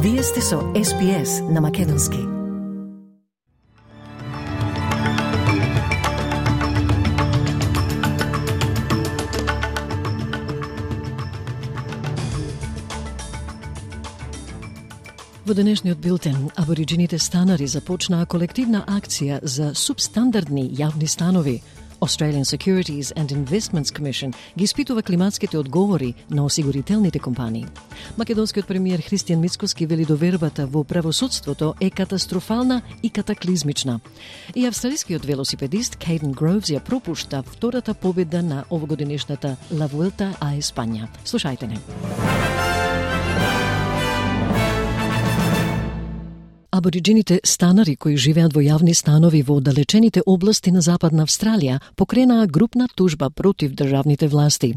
Вие сте со SPS на Македонски. Во денешниот билтен, абориджините станари започнаа колективна акција за субстандардни јавни станови. Australian Securities and Investments Commission ги испитува климатските одговори на осигурителните компании. Македонскиот премиер Христијан Мицкоски вели довербата во правосудството е катастрофална и катаклизмична. И австралискиот велосипедист Кейден Гроувс ја пропушта втората победа на овогодинешната La Vuelta a España. Слушајте не. Абориджините станари кои живеат во јавни станови во оддалечените области на Западна Австралија покренаа групна тужба против државните власти.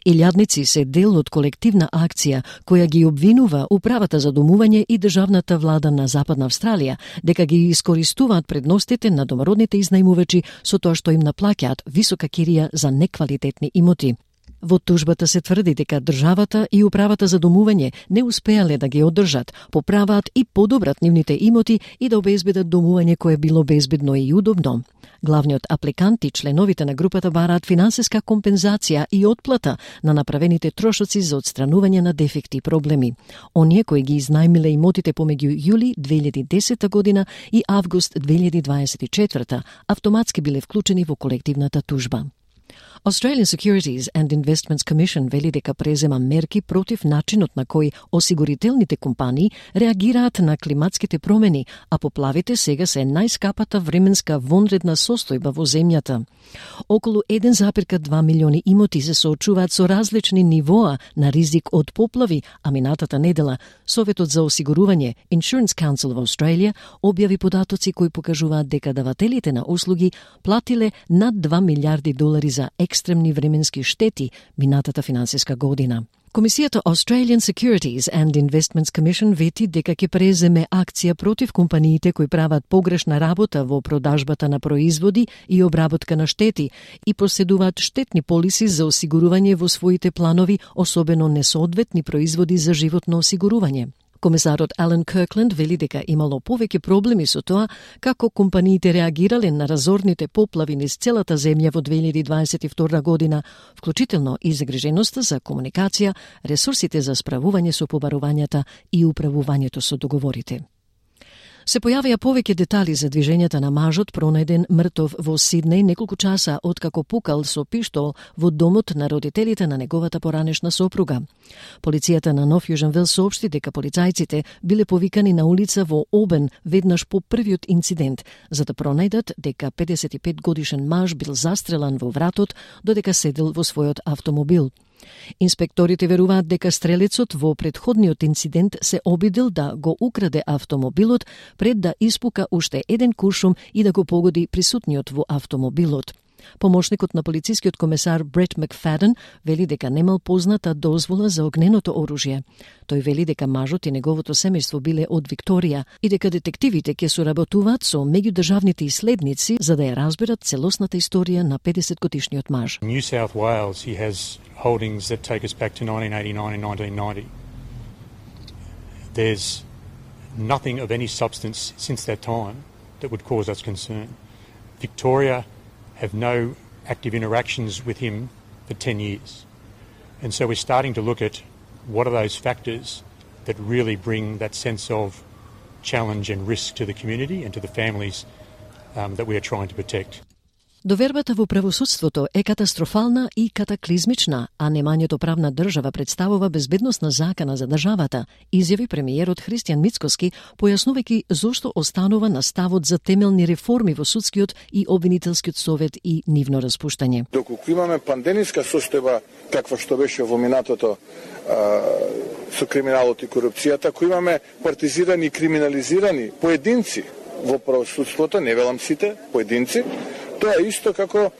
Илјадници се дел од колективна акција која ги обвинува Управата за домување и државната влада на Западна Австралија дека ги искористуваат предностите на домородните изнајмувачи со тоа што им наплаќаат висока кирија за неквалитетни имоти. Во тужбата се тврди дека државата и Управата за домување не успеале да ги одржат, поправаат и подобрат нивните имоти и да обезбедат домување кое било безбедно и удобно. Главниот апликант и членовите на групата бараат финансиска компензација и отплата на направените трошоци за отстранување на дефекти и проблеми. Оние кои ги изнајмиле имотите помеѓу јули 2010 година и август 2024 автоматски биле вклучени во колективната тужба. Australian Securities and Investments Commission вели дека презема мерки против начинот на кој осигурителните компании реагираат на климатските промени, а поплавите сега се најскапата временска вонредна состојба во земјата. Околу 1,2 милиони имоти се соочуваат со различни нивоа на ризик од поплави, а минатата недела Советот за осигурување Insurance Council во Австралија објави податоци кои покажуваат дека давателите на услуги платиле над $2 милиарди за екстремни временски штети минатата финансиска година. Комисијата Australian Securities and Investments Commission вети дека ќе преземе акција против компаниите кои прават погрешна работа во продажбата на производи и обработка на штети и поседуваат штетни полиси за осигурување во своите планови, особено несоодветни производи за животно осигурување. Комесарот Алан Киркленд вели дека имало повеќе проблеми со тоа како компаниите реагирале на разорните поплави низ целата земја во 2022 година, вклучително и загриженоста за комуникација, ресурсите за справување со побарувањата и управувањето со договорите. Се појавија повеќе детали за движењата на мажот пронајден мртов во Сиднеј неколку часа откако пукал со пиштол во домот на родителите на неговата поранешна сопруга. Полицијата на Нов Јужен Велс соопшти дека полицајците биле повикани на улица во Обен веднаш по првиот инцидент, за да пронајдат дека 55 годишен маж бил застрелан во вратот додека седел во својот автомобил. Инспекторите веруваат дека стрелецот во претходниот инцидент се обидел да го украде автомобилот пред да испука уште еден куршум и да го погоди присутниот во автомобилот. Помошникот на полицискиот комесар Брет Макфаден вели дека немал позната дозвола за огненото оружје. Тој вели дека мажот и неговото семејство биле од Викторија и дека детективите ќе соработуваат со меѓудржавните иследници за да ја разберат целосната историја на 50-годишниот маж. New South Wales, he has holdings that take us back to 1989 and 1990. There's nothing of any substance since that time that would cause us concern. Victoria have no active interactions with him for 10 years. And so we're starting to look at what are those factors that really bring that sense of challenge and risk to the community and to the families that we are trying to protect. Довербата во правосудството е катастрофална и катаклизмична, а немањето правна држава представува безбедносна закана за државата, изјави премиерот Христијан Мицкоски, појаснувајќи зошто останува на ставот за темелни реформи во судскиот и обвинителскиот совет и нивно распуштање. Доколку имаме пандемиска состојба каква што беше во минатото со криминалот и корупцијата, ако имаме партизирани и криминализирани поединци во правосудството, не велам сите, поединци, тоа е исто како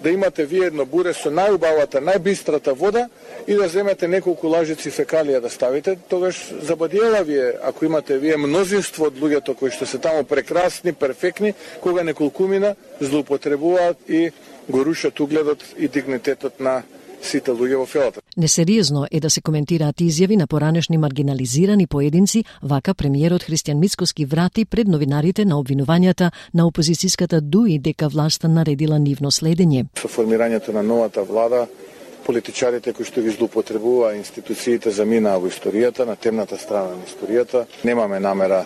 да имате вие едно буре со најубавата, најбистрата вода и да земете неколку лажици фекалија да ставите, тогаш забадиела вие, ако имате вие мнозинство од луѓето кои што се таму прекрасни, перфектни, кога неколкумина злоупотребуваат и го рушат угледот и дигнитетот на сите луѓе во фелата. Несериозно е да се коментираат изјави на поранешни маргинализирани поединци, вака премиерот Христијан Мицкоски врати пред новинарите на обвинувањата на опозицијската ДУИ дека власта наредила нивно следење. Со формирањето на новата влада, политичарите кои што ги злоупотребува институциите заминаа во историјата, на темната страна на историјата. Немаме намера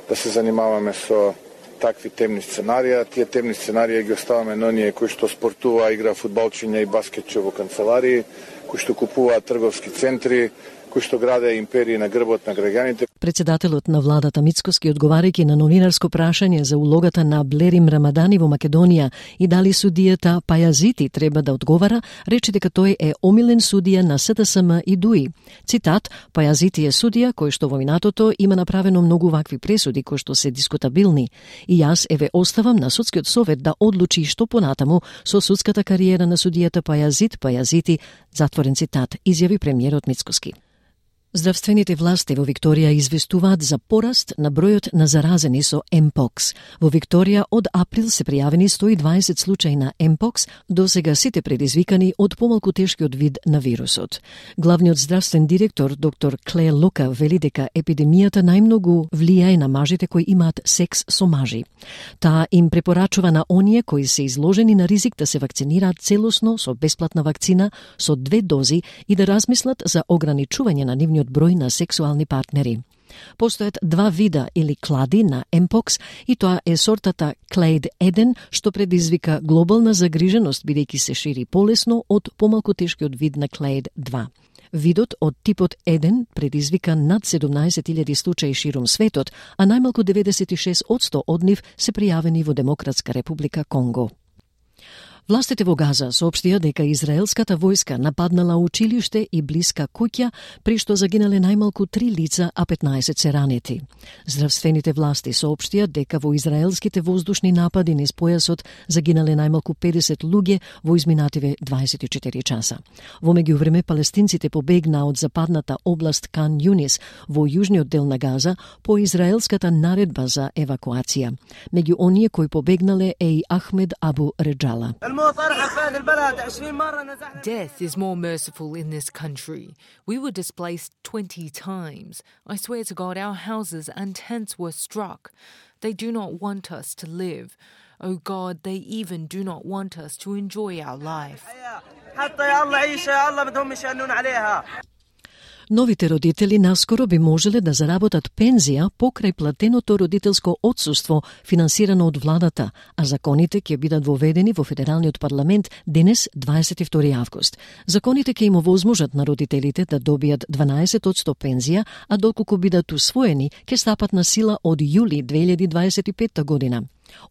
да се занимаваме со такви темни сценарија. Тие темни сценарија ги оставаме на оние кои што спортува, игра фудбалчиња и баскетче во канцеларии, кои што купуваат трговски центри, кои што граде империи на грбот на граѓаните. Председателот на владата Мицкоски, одговарајќи на новинарско прашање за улогата на Блерим Рамадани во Македонија и дали судијата Пајазити треба да одговара, рече дека тој е омилен судија на СТСМ и ДУИ. Цитат: Пајазити е судија кој што во минатото има направено многу вакви пресуди кои што се дискутабилни. И јас еве оставам на судскиот совет да одлучи што понатаму со судската кариера на судијата Пајазити, затворен цитат, изјави премиерот Мицкоски. Здравствените власти во Викторија известуваат за пораст на бројот на заразени со Mpox. Во Викторија од април се пријавени 120 случаи на Mpox, досега сите предизвикани од помалку тешкиот вид на вирусот. Главниот здравствен директор доктор Клеј Лока вели дека епидемијата најмногу влијае на мажите кои имаат секс со мажи. Таа им препорачува на оние кои се изложени на ризик да се вакцинираат целосно со бесплатна вакцина со 2 дози и да размислат за ограничување на нивниот број на сексуални партнери. Постојат 2 вида или клади на Mpox и тоа е сортата Clade 1, што предизвика глобална загриженост бидејќи се шири полесно од помалку тешкиот вид на Clade 2. Видот од типот 1 предизвика над 17.000 случаи ширум светот, а најмалку 96% од нив се пријавени во Демократска република Конго. Властите во Газа соопштија дека израелската војска нападнала училиште и блиска куќа, при што загинале најмалку 3 лица, а 15 се ранети. Здравствените власти соопштија дека во израелските воздушни напади низ појасот загинале најмалку 50 луѓе во изминативе 24 часа. Во меѓувреме, палестинците побегнаа од западната област Кан Јунис во јужниот дел на Газа по израелската наредба за евакуација. Меѓу оние кои побегнале е и Ахмед Абу Реджала. Death is more merciful in this country. We were displaced 20 times. I swear to God, our houses and tents were struck. They do not want us to live. Oh God, they even do not want us to enjoy our life. Новите родители наскоро би можеле да заработат пензија покрај платеното родителско отсуство финансирано од владата, а законите ќе бидат воведени во Федералниот парламент денес 22 август. Законите ќе им овозможат на родителите да добијат 12% пензија, а доколку бидат усвоени, ќе стапат на сила од јули 2025 година.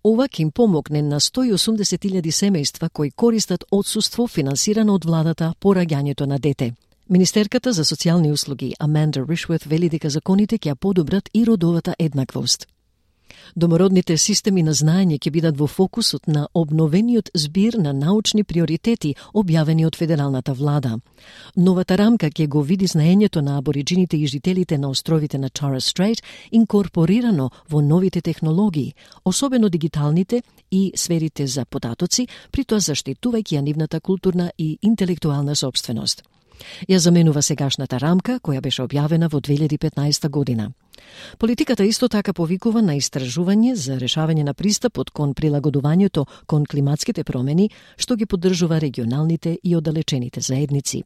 Ова ќе им помогне на 180.000 семејства кои користат отсуство финансирано од владата по раѓањето на дете. Министерката за социјални услуги Аманда Ришворт вели дека законите ќе подобрат и родовата еднаквост. Домородните системи на знаење ќе бидат во фокусот на обновениот збир на научни приоритети објавени од федералната влада. Новата рамка ќе го види знаењето на абориджините и жителите на островите на Торres Strait инкорпорирано во новите технологии, особено дигиталните и сферите за податоци, при тоа заштитувајќи ја нивната културна и интелектуална сопственост. Ја заменува сегашната рамка, која беше објавена во 2015 година. Политиката исто така повикува на истражување за решавање на пристапот кон прилагодувањето кон климатските промени, што ги поддржува регионалните и оддалечените заедници.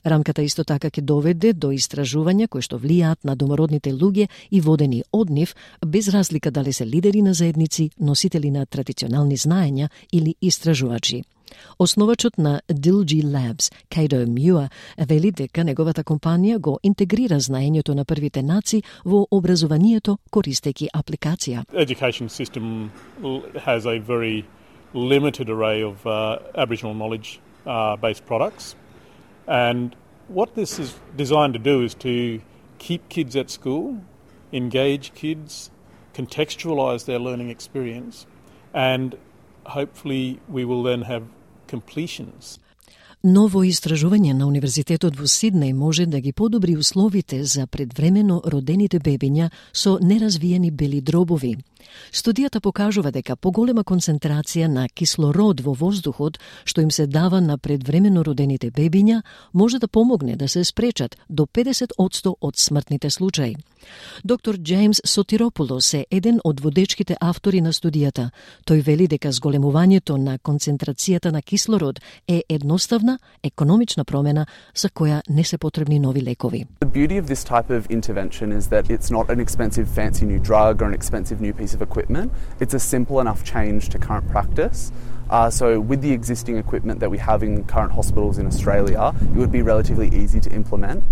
Рамката исто така ќе доведе до истражувања кои што влијаат на домородните луѓе и водени од нив, без разлика дали се лидери на заедници, носители на традиционални знаења или истражувачи. Основачот на Dilgy Labs, Cato Muir, вели дека неговата компанија го интегрира знаењето на првите нации во образованието користејќи апликација. Education system has a very limited array of Aboriginal knowledge based products, and what this is designed to do is to keep kids at school, engage kids, contextualize their learning experience, and hopefully we will then have completions. Ново истражување на Универзитетот во Сиднеј може да ги подобри условите за предвремено родените бебиња со неразвиени бели дробови. Студијата покажува дека поголема концентрација на кислород во воздухот, што им се дава на предвремено родените бебиња, може да помогне да се спречат до 50% од смртните случаи. Доктор Джеймс Сотиропулос е еден од водечките автори на студијата. Тој вели дека зголемувањето на концентрацијата на кислород е едноставна, економична промена за која не се потребни нови лекови. The beauty of this type of intervention is that it's not an expensive fancy new drug or an expensive new piece of equipment. It's a simple enough change to current practice. So with the existing equipment that we have in current hospitals in Australia, it would be relatively easy to implement.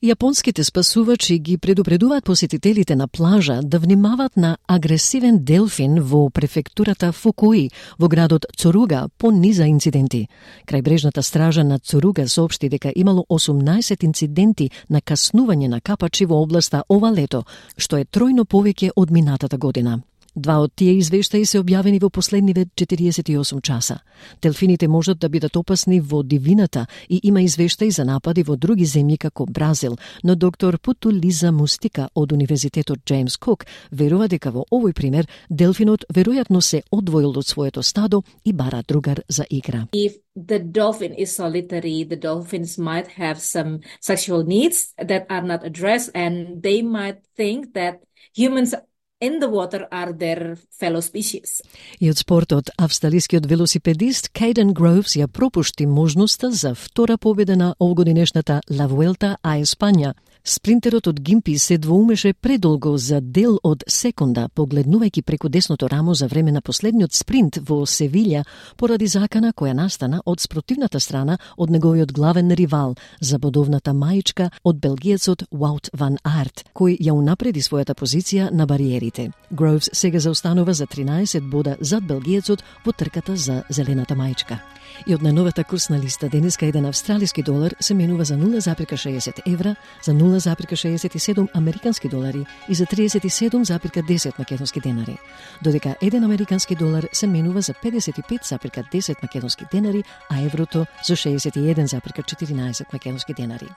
Јапонските спасувачи ги предупредуваат посетителите на плажа да внимаваат на агресивен делфин во префектурата Фукуи, во градот Цоруга, по низа инциденти. Крајбрежната стража на Цоруга соопшти дека имало 18 инциденти на каснување на капачи во областа ова лето, што е тројно повеќе од минатата година. Два од тие извештаи се објавени во последниве 48 часа. Делфините можат да бидат опасни во дивината и има извештаи за напади во други земји како Бразил, но доктор Путулиза Мустика од Универзитетот Джеймс Кук верува дека во овој пример делфинот веројатно се одвоил од своето стадо и бара другар за игра. If the dolphin is solitary, the dolphins might have some sexual needs that are not addressed, and they might think that humans in the water are their fellow species. И од спортот, австралискиот велосипедист Кейден Гроувс ја пропушти можноста за втора победа на овгодинешната La Vuelta a España. Спринтерот од Гимпи се двоумеше предолго за дел од секунда, погледнувајќи преку десното рамо за време на последниот спринт во Севилја, поради закана која настана од спротивната страна од неговиот главен ривал, забодовната маичка од белгиецот Wout van Aert, кој ја унапреди својата позиција на бариерите. Гроувс сега заостанува за 13 бода зад белгиецот во трката за зелената маичка. И од најновата курсна листа денеска еден австралиски долар се менува за 0,60 евра, за 0,67 американски долари и за 37,10 македонски денари. Додека еден американски долар се менува за 55,10 македонски денари, а еврото за 61,14 македонски денари.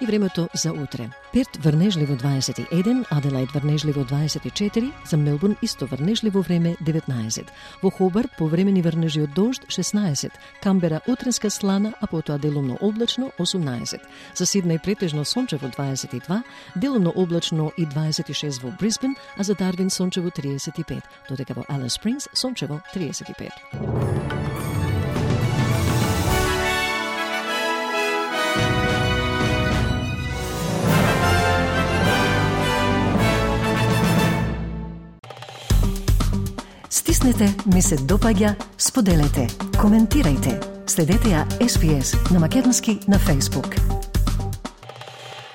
И времето за утре. Перт врнежливо 21, Аделаид врнежливо 24, за Мелбурн исто врнежливо време 19. Во Хобарт повремени врнежи од дожд 16, Камбера утренска слана, а потоа делумно облачно 18. За Сиднеј претежно сончево 22, делумно облачно и 26 во Брисбен, а за Дарвин сончево 35, додека во Алис Спрингс сончево 35. Стиснете, ми се допаѓа, споделете, коментирајте. Следете ја SPS на македонски на Facebook.